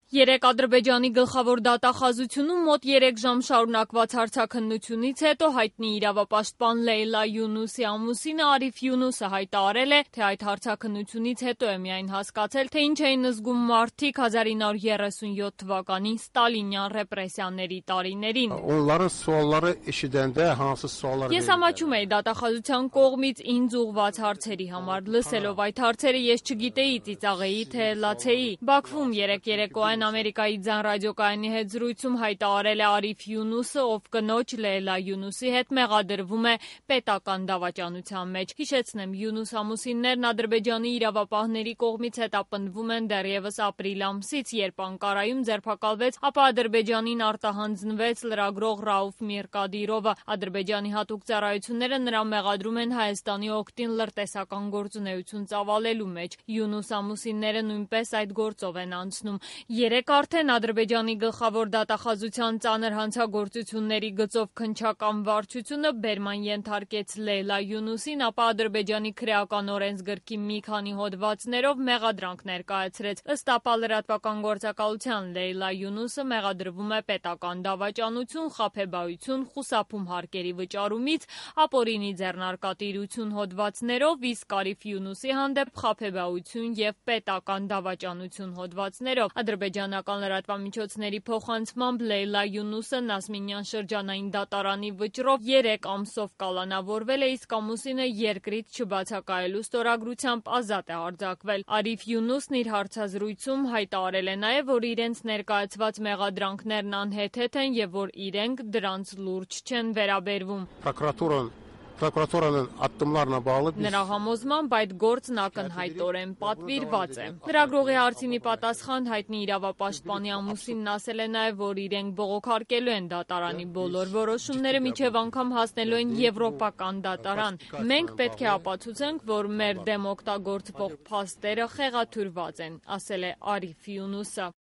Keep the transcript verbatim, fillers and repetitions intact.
Երեկ Ադրբեջանի գլխավոր դատախազությունում մոտ երեք ժամ շարունակված հարցաքննությունից հետո հայտնի իրավապաշտպան Լեյլա Յունուսի ամուսինը Արիֆ Յունուսը հայտարարել է, թե այդ հարցաքննությունից հետո է միայն հասկացել, թե ինչ էին զգում մարդիկ հազար ինը հարյուր երեսունյոթ թվականի ստալինյան ռեպրեսիաների տարիներին։ Ես ամաչում էի դատախազության կողմից ինձ ուղղված հարցերի համար, լսելով այդ հարցերը ես չգիտեի ծիծաղեի, թե լացեի։ Բաքվում երեկ երեկոյան Ամերիկայի ձայն ռադիոկայանի հետ զրույցում հայտարարել է Արիֆ Յունուսը, ով կնոջ Լեյլա Յունուսի հետ մեղադրվում է պետական դավաճանության մեջ։ Հիշեցնեմ, Յունուս ամուսիններն Ադրբեջանի իրավապահների կողմից հետապնդվում են դեռևս ապրիլ ամսից, երբ Անկարայում ձերբակալվեց, ապա Ադրբեջանին արտահանձնվեց լրագրող Ռաուֆ Միրկադիրովը։ Ադրբեջանի հատուկ ծառայությունները նրան մեղադրում են Հայաստանի օգտին լրտեսական գործունեություն ծավալելու մեջ։ Յունուս ամուսինները նույնպես այդ գործով են անցնում։ Երեկ արդեն Ադրբեջանի գլխավոր դատախազության ծանր հանցագործությունների գծով քննչական վարչությունը բերման ենթարկեց Լեյլա Յունուսին, ապա Ադրբեջանի քրեական օրենսգրքի մի քանի հոդվածներով մեղադրանք ներկայացրեց։ Ըստ ապա լրատվական գործակալության Լեյլա Յունուսը մեղադրվում է պետական դավաճանություն, խաբեբայություն, խուսափում հարկերի վճարումից, ապօրինի ձեռնարկատիրություն հոդվածներով, իսկ Արիֆ Յունուսի հանդեպ խաբեբայություն և պետական դավաճանություն հոդվածներով։ Ադրբեջանական լրատվամիջոցների փոխանցմամբ Լեյլա Յունուսը Նասմինյան շրջանային դատարանի վճռով երեք ամսով կալանավորվել է, իսկ ամուսինը երկրից չբացակայելու ստորագրությամբ ազատ է արձակվել։ Արիֆ Յունուսն իր հարցազրույցում հայտարարել է նաև, որ իրենց ներկայացված մեղադրանքներն անհեթեթ են և որ իրենք դրանց լուրջ չեն վերաբերվում։ Նրա համոզմամբ այդ գործն ակնհայտորեն պատվիրված է։ Լրագրողի հարցին ի պատասխան հայտնի իրավապաշտպանի ամուսինն ասել է նաև, որ իրենք բողոքարկելու են դատարանի բոլոր որոշումները, մինչև անգամ հասնելու են եվրոպական դատարան։ Մենք պետք է ապացուցենք, որ մեր դեմ օգտագործվող փաստերը խեղաթյուրված են, ասել է Արիֆ Յունուսը։